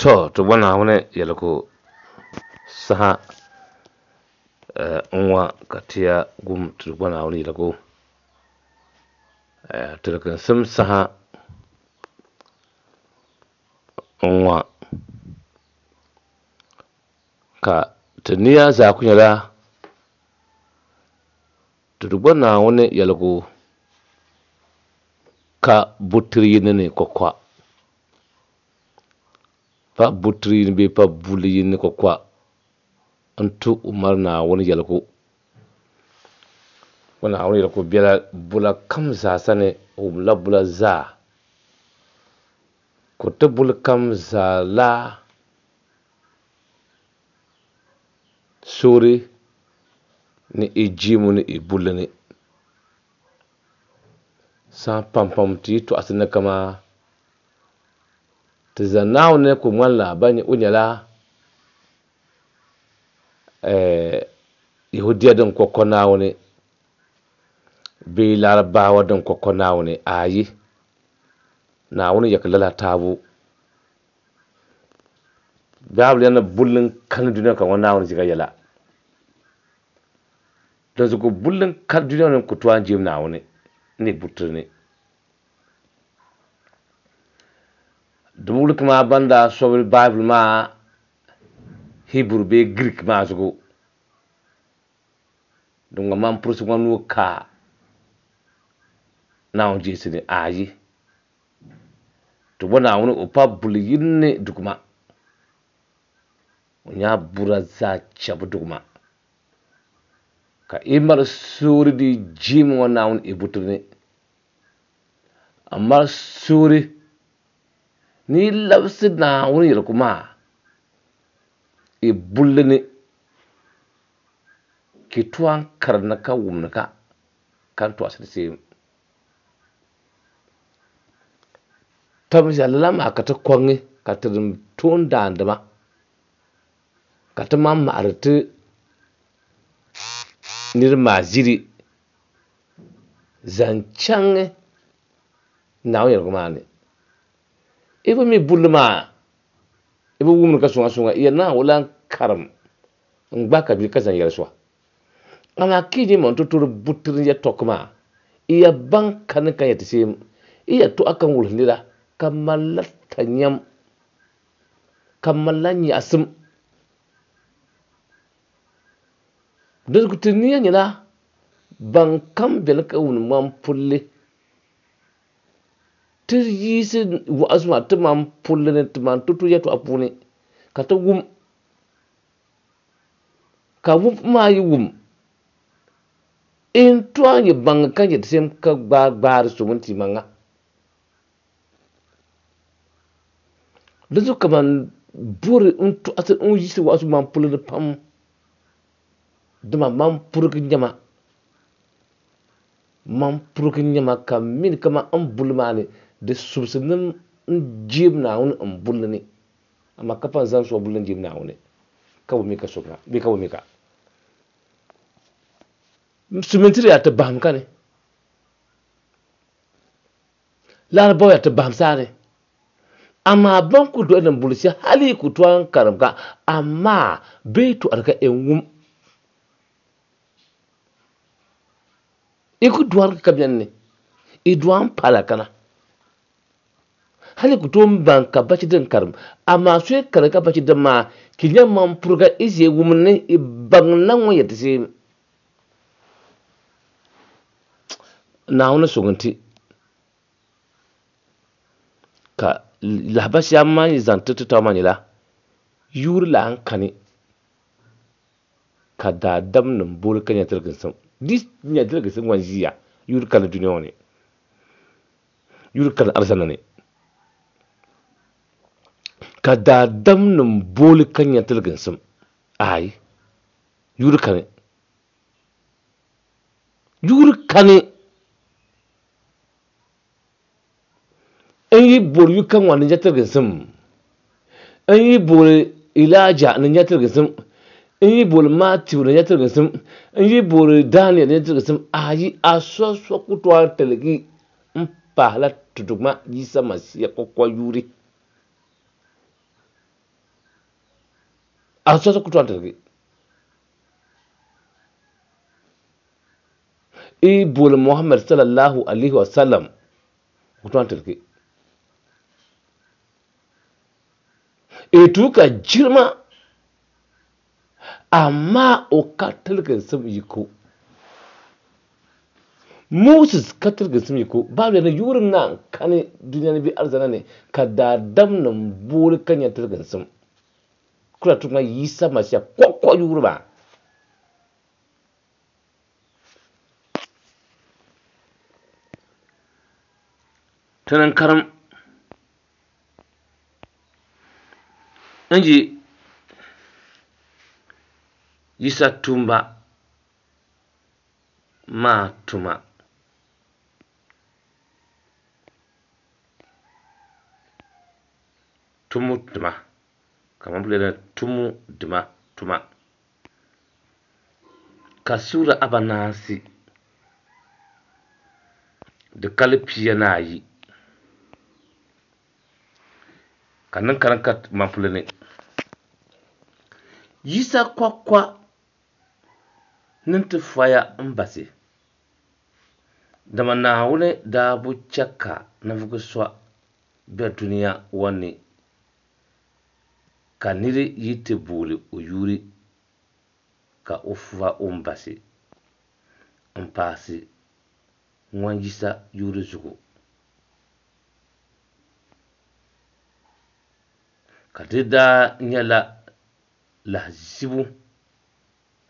To, ti bo Naawuni yɛligu saha n-ŋɔ ka ti ya wum ti bo Naawuni yɛligu tiliginsim saha n-ŋɔ ka ti nia zaa ku nyɛla ti di bo Naawuni yɛligu ka butiri yini ni kɔkɔa. Pa butiri yini bee pa bulli yini ni kɔkɔa n-tu Umar Naawuni yɛligu. O Naawuni yɛligu bela bula kam zaa sani, o wumla bula zaa. Ka o ti buli kam zaa la soori ni i jiimu ni i bulli ni. Saha pampam ti yi tɔɣisi ni kaman Ti zaŋ Naawuni ku ŋmanila ban o nyɛla Yehudia din kɔkɔ Naawuni bee Larabawa din kɔkɔ Naawuni? Aai! Naawuni ya ka lala taabu. Baabuli yɛli ni bulli n-kani dunia ka ŋɔ Naawuni ʒiga yɛla. Dinzuɣu bulli n-kani dunia ŋɔ ni n-ku tooi n-jɛm Naawuni ni butiri ni. Di bi wuli kaman ban daa sɔbi Baibuli maa Hiburu bee Giriik maa zuɣu. Din ŋɔ man purisi ŋɔ nuu ka Naawuni jeesi ni ayi. Ti bo Naawuni o pa buli yini ni duguma. O nya bura zaa chɛbu duguma. Ka i mali suuri di jiimi ŋɔ Naawuni i butiri ni. A mali suuri ni yi labisi Naawuni yɛligu maa i bulli ni, ka yi tooi n-karim ni ka wum ni ka ka n tɔɣisiri seem. Tɔbu lala maa ka ti kɔŋi ka ti toondaandima ka ti maŋ maɣiri ti niriba maa ʒiri zaŋ chaŋ Naawuni yɛligu maa ni. I bi mi bulli maa, i bi wumdi ka suŋa suŋa, i yɛli ni a o lan karim n-gbahi ka bia ka zaŋ yɛli so. Amaa ka yi nyɛ man totoro butiri yɛtɔɣ maa, i ya baŋ kani ka yɛti seem, i yɛtɔɣa kam wulihi nira ka malila tanyam, ka malila nyaɣisim. Dinzuɣu ti nia nyɛla ban kam beni ka wuni ŋmani pulli ti yiɣisi wa'azu maa ti man pulli ni ti man tutu yɛtɔɣa puuni ka ti wum ka wumbu maa yi wum n tooi nyɛ baŋ ka nyɛ di same ka gbaai gbaari so mini ti maŋa. Dinzuɣu ka ban bori n tɔɣisiri n yiɣisiri wa'azu man pulli ni pam dama man purigi nyɛma man purigi nyɛma ka mini kaman n bulli maa ni di subisi ni n jeem Naawuni n bulli ni amaa ka pa n zaŋ so bulli n jeem Naawuni ka bi mi ka so bee ka bi mi ka sumintiri yaa ti bahim ka ni Larabawa yaa ti bahim saani amaa ban ku doli din buli shɛli hali yi ku tooi n karim ka amaa bee tɔɣiri ka n wum i ku dɔri ka bɛni ni i dɔa n pala kana hali yi ku tooi n baŋ ka bachi din karim amaa so yi karim ka bachi din maa ki nya man puriga i ʒe wum ni i baŋ la ŋun yɛti shee Naawuni suŋ n-ti ka lahabali shɛli a ni zaŋ ti ti taba maa nyɛla yuuri lan kani ka daadamnim boori ka nya tiliginsim. Di nya tiliginsim ŋɔ n-ʒiya yuuri kani dunia ŋɔ ni, yuuri kani alizanda ni ka daadamnim booli ka nya tiliginsim. Aai, yuuri kani. Yuuri kani n yi boori yu ka ŋɔ ni nya tiliginsim, n yi boori Ilaija ni nya tiliginsim, n yi boori Matiu ni nya tiliginsim, n yi boori Daniel ni nya tiliginsim, ayi a so so ku tooi tiligi m pahila ti Duuma Yisa Masia kɔkɔ yuuri. A so ku tooi tiligi. I booli Muhammad sallallahu alaihi wa sallam ku tooi tiligi. I tuuka jirima amaa o ka tiliginsim yiko. Moses ka tiliginsim yiko. Baabuli ni yuuri na kani dunia ni bɛ alizana ni ka daadam nim booli ka nya tiliginsim. Kula tuma Yisa Masia kɔkɔ yuuri maa. Tini n karim n yi Yisa tuumba maa tuma. Tumu dima kamani bɛ lɛri tumu dima tuma ka suura abanaasi di kali 12 ka niŋ karim ka mampuli ni Yisa kwakwa niŋ ti foya n basi dama Naawuni daa bi chɛ ka ninvuɣu so be dunia ŋɔ ni ka niri yi ti booli o yuuri ka o fa o ni basi n paasi ŋɔn Yisa yuuri zuɣu. Ka di daa nyɛla lahizibu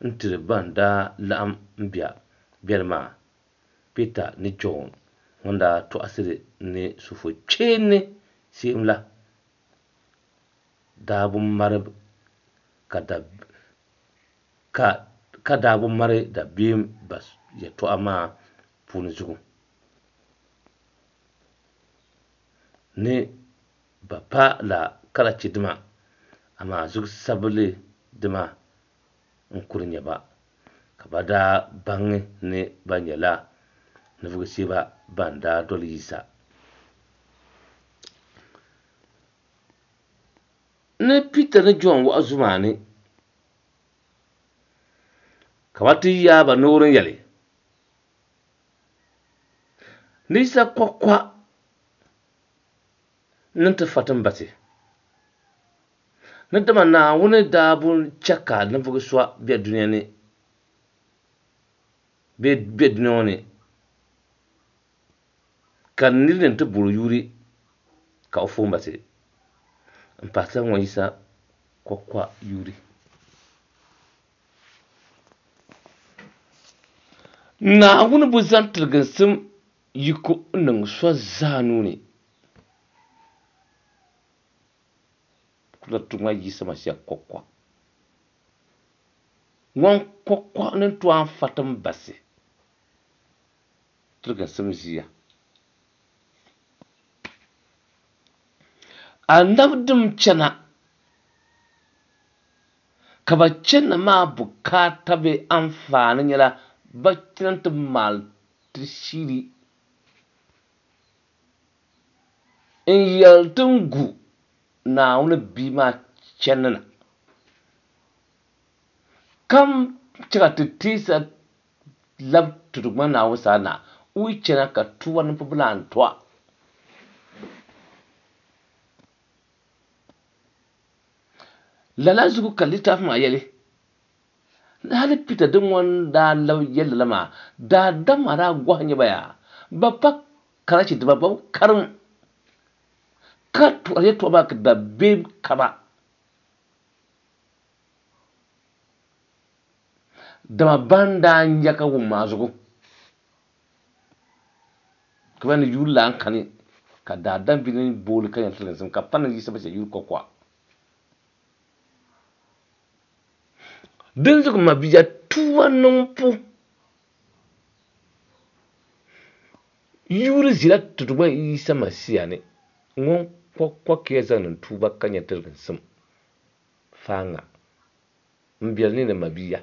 n-tiri ban daa laɣim m-beni maa, Pita ni Jɔn ŋun daa tɔɣisiri ni sufokpeeni seem la daa bi mari ka daa bi mari dabiɛm ba yɛtɔɣa maa puuni zuɣu ni bɛ pa la karachidima, amaa zuɣusabilidima n-kuli nyɛ ba, ka bɛ daa baŋ ni bɛ nyɛla ninvuɣ shɛba ban daa doli Yisa. Ni Pita ni Jɔn wa'azu maa ni, ka bɛ ti yaai ba noori n-yɛli, Ni Yisa kɔkɔa niŋ ti fa ti ni basi. Ni dama Naawuni daa bi chɛ ka ninvuɣ so be dunia ni bee be dunia ŋɔ ni ka nir ni ti bol o yuuri ka o foon basi m-pahirila ŋɔ Yisa kɔkɔa yuuri. Naawuni bi zaŋ tiliginsim yiko n-niŋ so zaa nuu ni. Kula tuma Yisa Masia kɔkɔa. Ŋɔn kɔkɔa ni tooi n-fa ti m-basi tiliginsim ʒiya. Anabidim chana ka ba chani maa bukaata bee anfaani nyɛla ba chana nti maali ti shiri n-yɛli ti n-gu Naawuni bia maa chani na, ka chɛ ka ti teesa lab ti Duuma Naawuni sani na, o yi chana ka tuba niŋbu bi lan tɔa. Lala zuɣu ka litaafi maa yɛli, Ni hali Pita din ŋɔ n-daa lab yɛli lala maa, daadam maa daa gɔhi nya ba yaa, bɛ pa karachi dima, bɛ bi karim ka tɔri yɛtɔɣa maa ka dabiɛm ka ba. Dama ban daa nya ka wum maa zuɣu, ka bɛ ni yuuri lan kani, ka daadam bi ni booli ka nya tiliginsim, ka pa ni Yisa Masia yuuri kɔkɔa. Dinzuɣu mabia tuuba niŋbu yuuri ʒila ti Duuma Yisa Masia ni ŋun kɔkɔ ka ya zaŋ niŋ tuuba ka nya tiliginsim faaŋa. M biɛli ni ni mabia,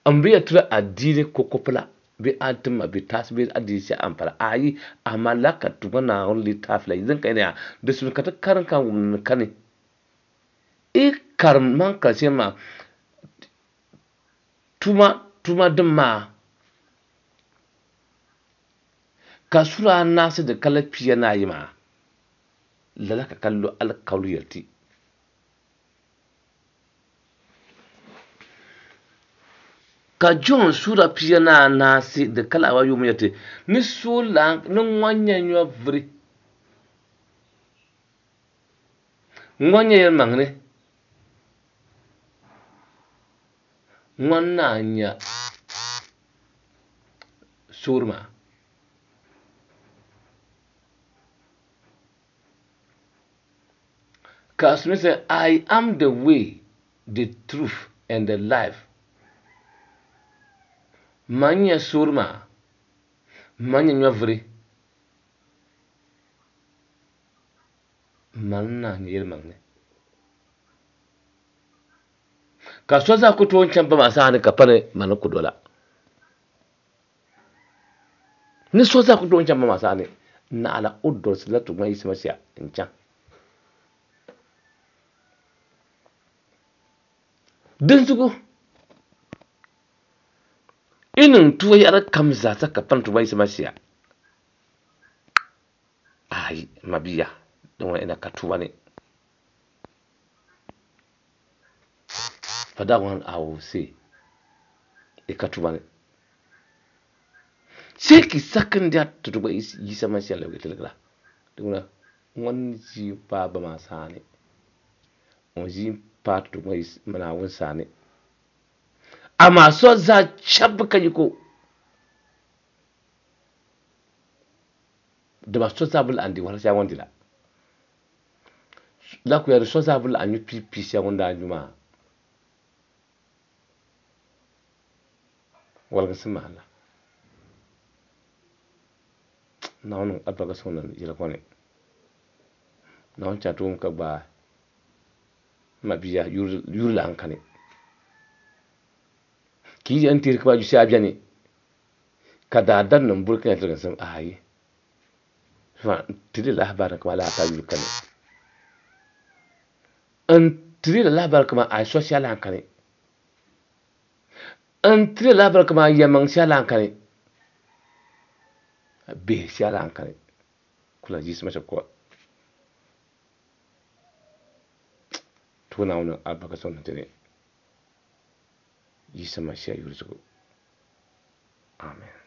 m bi ya tiri adiini kɔkɔpila bee a ti ma bɛ taasi bee adiini shɛli a ni pala. Ayi, amaa lala ka Duuma Naawuni litaafi la din ka yɛli yaa, di simdi ka ti karim ka wum ni kani. karim man karim maa tuma tuma din maa ka sura anaasi di kala 42 maa lala ka ka lo alikauli yɛli ti. Ka Jɔn suura 14 di kala awa yuuma yɛli ti ni so lan ni ŋɔn nyɛ nyɔvuri ŋɔn nyɛ yɛlimaŋli ŋɔn naa nya soori maa. Ka Smith say, I am the way, the truth, and the life. Man nyɛ soori maa, man nyɛ nyɔvuri, man naa nyɛ yɛlimaŋli. Ka so zaa ku tooi chaŋ ba maa saha ni ka pa ni mani ku dola. Ni so zaa ku tooi chaŋ ba maa saha ni naɣila o dolisi la Tuuma Yisa Masia n-chaŋ. Dinzuɣu yi niŋ tuwa yaɣili kam zaa sa ka pani Tuuma Yisa Masia. Ayi, mabia, din ŋuna ina ka tuwa ni. For that one, I will say, i ka tuba ni. Sai ki sakindiya ti Tuuma Yisa Masia lebigi tiligira. Din ŋuna ŋun ʒi m-paai ba maa saani, ŋun ʒi m-paai ti Duuma Naawuni saani. Amaa so zaa chɛbu ka yiko, dama so zaa bi lahi di wahala shɛli ŋun di la. La ku yɛli so zaa bi lahi nyu piipii shɛli ŋun daa nyu maa. Waliginsim maa la. Naawuni niŋ alibarika sɔŋ na yɛli ŋɔ ni. Naawuni chɛ a tooni ka gbaai m mabia yuri lan kani. Ka yi yɛn teeri kaman yushɛli beni ka daadamnim buri ka nya tiliginsim, aai, n tiri lahabali kaman lala ka yuri kani. N tiri lahabali kaman a so shɛli lan kani. N tiri lahabali kaman yɛlimaŋ shɛli lan kani. Bihi shɛli lan kani. Kula yiɣisi ma shɛb ko. Tuhi Naawuni alibarika sɔŋ ti ni Yisa Masia yuli zuɣu. Amen.